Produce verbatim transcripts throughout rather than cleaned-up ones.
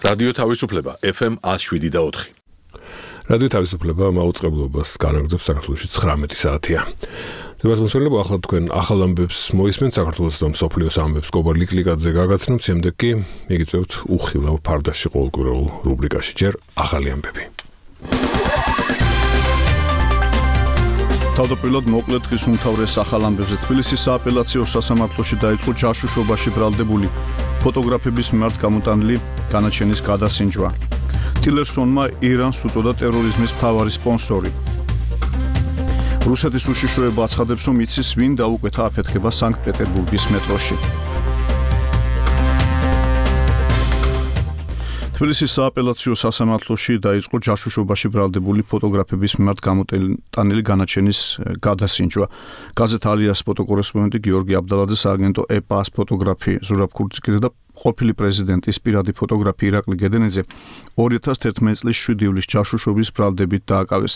რადიო თავისუფლება ეფ ემ one oh seven და four. რადიო თავისუფლება მაუწყებლობას განაგრძობს საქართველოში ცხრამეტი საათია. დებას მოსულები ახლა თქვენ ახალ ამბებს მოისმენთ საქართველოს და მსოფლიოს ამბებს კობარ ლიკლიკაძე გაგაცნობთ, შემდეგ კი მიგიწევთ უხილავ ფარდაში ყოველკვირეულ რუბრიკაში ჯერ ახალი ამბები. თავდაპირველად მოკლედ დღის უმთავრეს ახალ ამბებზე თბილისის სააპელაციო სასამართლოში დაიწყო ჯაშუშობაში ბრალდებული ფოტოგრაფების მიმართ გამოტანილი განაჩენის გადასინჯვა. ტილერსონმა ირანს უწოდა ტერორიზმის მთავარი სპონსორი. რუსეთის უშიშროება აცხადებს, რომ იცის ვინ დაუკვეთა აფეთქება სანქტ-პეტერბურგის მეტროში. თბილისის სააპელაციო სასამართლოში დაიწყო ჯაშუშობაში ბრალდებული ფოტოგრაფების მიმართ გამოტანილი განაჩენის გადასინჯვა. გაზეთ ალიას ფოტოკორესპონდენტი გიორგი აბდალაძის სააგენტო ეპას ფოტოგრაფი ზურაბ ქურციკიძე და ყოფილი პრეზიდენტის პირადი ფოტოგრაფი ირაკლი გედენეძე ორი ათას თერთმეტი წლის შვიდი ივლისის ჯაშუშობის ბრალდებით დააკავეს.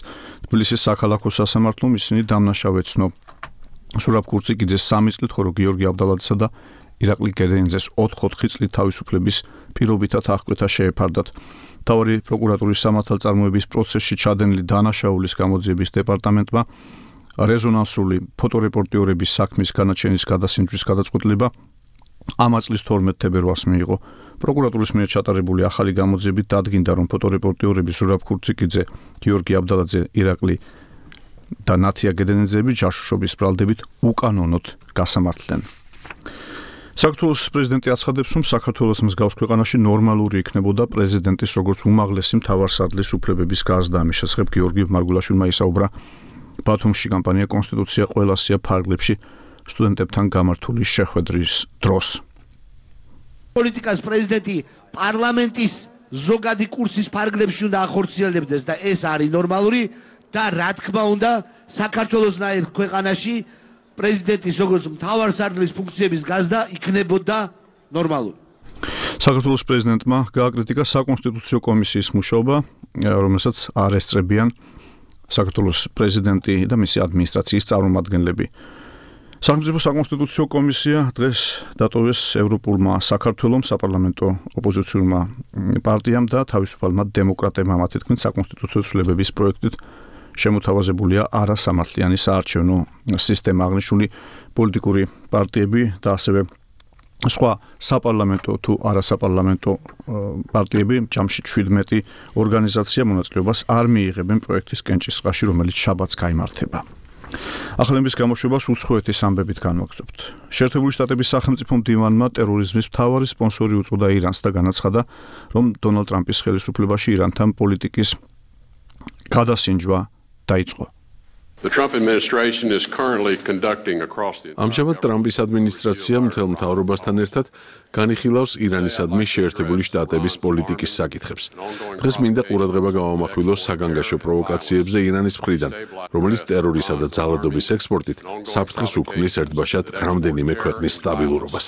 თბილისის საქალაქო სასამართლომ ისინი დამნაშავე ცნო. ზურაბ ქურციკიძეს სამი წლით, ხოლო გიორგი აბდალაძესა და ირაკლი გედენეძეს ოთხ-ოთხი წლით თავისუფლების პირობითად აღკვეთა შეეფარდათ. მთავარი პროკურატურის სამართალწარმოების პროცესში ჩადენილი დანაშაულის გამოძიების დეპარტამენტმა რეზონანსული ფოტორეპორტიორების საქმის განაჩენის გადასინჯვის გადაწყვეტილება ამ წლის თორმეტ თებერვალს მიიღო. პროკურატურის მიერ ჩატარებული ახალი გამოძიებით დადგინდა, რომ ფოტორეპორტიორები ზურაბ ქურციკიძე, გიორგი აბდალაძე, ირაკლი და ნათია გედენეძეები ჯაშუშობის ბრალდებით უკანონოდ გასამართლდნენ. საქართველოს პრეზიდენტი აცხადებს, რომ საქართველოს მსგავს ქვეყანაში ნორმალური იქნებოდა პრეზიდენტის როგორც უმაღლესი მთავარსარდლის უფლებების გაზრდა. ამის შესახებ გიორგი მარგულაშვილმა ისაუბრა ბათუმში კამპანია კონსტიტუცია ყველასია ფარგლებში სტუდენტებთან გამართული შეხვედრის დროს. პოლიტიკას პრეზიდენტი პარლამენტის ზოგადი კურსის ფარგლებში უნდა ახორციელებდეს და ეს არის ნორმალური და რა თქმა უნდა საქართველოსნაირ ქვეყანაში პრეზიდენტის როგორც მთავარსარდლის ფუნქციების გაზრდა იქნებოდა ნორმალური. საქართველოს პრეზიდენტმა გააკრიტიკა საკონსტიტუციო კომისიის მუშაობა, რომელსაც არ ესწრებიან საქართველოს პრეზიდენტი და მისი ადმინისტრაციის წარმომადგენლები. სახელმწიფო საკონსტიტუციო კომისია დღეს დატოვეს ევროპულმა საქართველომ, საპარლამენტო ოპოზიციურმა პარტიამ და თავისუფალმა დემოკრატებმა, მათი თქმით საკონსტიტუციო ცვლილებების პროექტით შემოთავაზებულია არასამართლიანი საარჩევნო სისტემა. აღნიშნული პოლიტიკური პარტიები და ასევე სხვა საპარლამენტო თუ არასაპარლამენტო პარტიები, ჯამში შვიდმეტი ორგანიზაცია მონაწილეობას არ მიიღებენ პროექტის კენჭისყრაში, რომელიც შაბათს გაიმართება. ახალების გამოშვებას უცხოეთის ამბებით განვაგრძობთ. შეერთებული შტატების სახელმწიფო მდივანმა ტერორიზმის მთავარი სპონსორი უწოდა ირანს და განაცხადა, რომ დონალდ ტრამპის ხელისუფლებაში ირანთან პოლიტიკის გადასინჯვა დაიწყო. ამჟამად ტრამპის ადმინისტრაცია მთელ მთავრობასთან ერთად განიხილავს ირანისადმი შეერთებული შტატების პოლიტიკის საკითხებს. დღეს მინდა ყურადღება გავამახვილოს საგანგაშო პროვოკაციებზე ირანის მხრიდან, რომელიც ტერორისა და ძალადობის ექსპორტით საფრთხეს უქმნის ერთბაშად რამდენიმე ქვეყნის სტაბილურობას.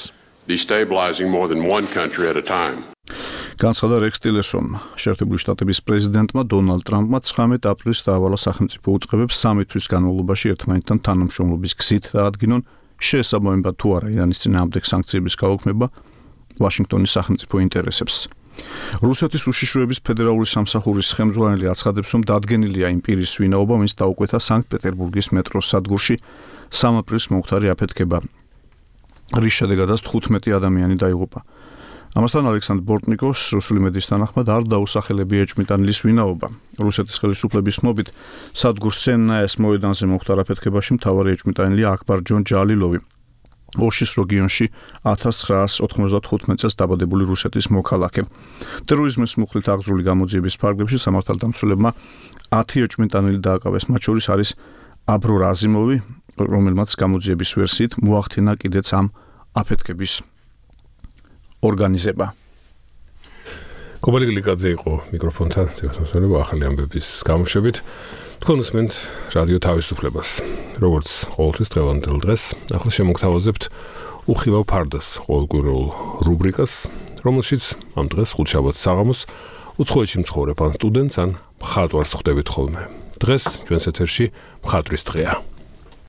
განცხადა რექს ტილერსონმა. შეერთებული შტატების პრეზიდენტმა დონალდ ტრამპმა ცხრამეტ აპრილს დაავალა სახელმწიფო უწყებებს სამი თვის განმავლობაში ერთმანეთთან თანამშრომლობის გზით დაადგინონ შეესაბამება თუ არა ირანის წინააღმდეგ სანქციების გაუქმება ვაშინგტონის სახელმწიფო ინტერესებს. რუსეთის უშიშროების ფედერალური სამსახურის ხელმძღვანელი აცხადებს, რომ დადგენილია იმ პირის ვინაობა, ვინც დაუკვეთა სანქტ-პეტერბურგის მეტროს სადგურში სამი აპრილს მომხდარი აფეთქება, რის შედეგადაც თხუთმეტი ადამიანი დაიღუპა. ამასთან ალექსანდრ ბორტნიკოვს რუსული მედიის თანახმად არ დაუსახელებია ეჭვმიტანილის ვინაობა. რუსეთის ხელისუფლების ცნობით სადგურ სენნაეს მოედანზე მომხდარ აფეთქებაში მთავარი ეჭვმიტანილია აქბარ ჯონ ჯალილოვი, ოშის რეგიონში ათას ცხრაას ოთხმოცდათხუთმეტ წელს დაბადებული რუსეთის მოქალაქე. ტერორიზმის მუხლით აღძრული გამოძიების ფარგლებში სამართალდამცველებმა ათი ეჭვმიტანილი დააკავეს, მათ შორის არის აბრო რაზიმოვი, რომელმაც გამოძიების ვერსიით მოახდინა კიდეც ამ აფეთქების ორგანიზება. კობარ ლიკლიკაძე იყო მიკროფონთან, ზეგასმოსულები ახალი ამბების გამოშვებით. თქვენ უსმენთ რადიო თავისუფლებას. როგორც ყოველთვის დღევანდელ დღეს, ახლა შემოგთავაზებთ უხილავ ფარდას ყოველკვირეულ რუბრიკას, რომელშიც ამ დღეს ხუთშაბათს საღამოს უცხოეთში მცხოვრებ ან სტუდენტს ან მხატვარს ხვდებით ხოლმე. დღეს ჩვენს ეთერში მხატვრის დღეა.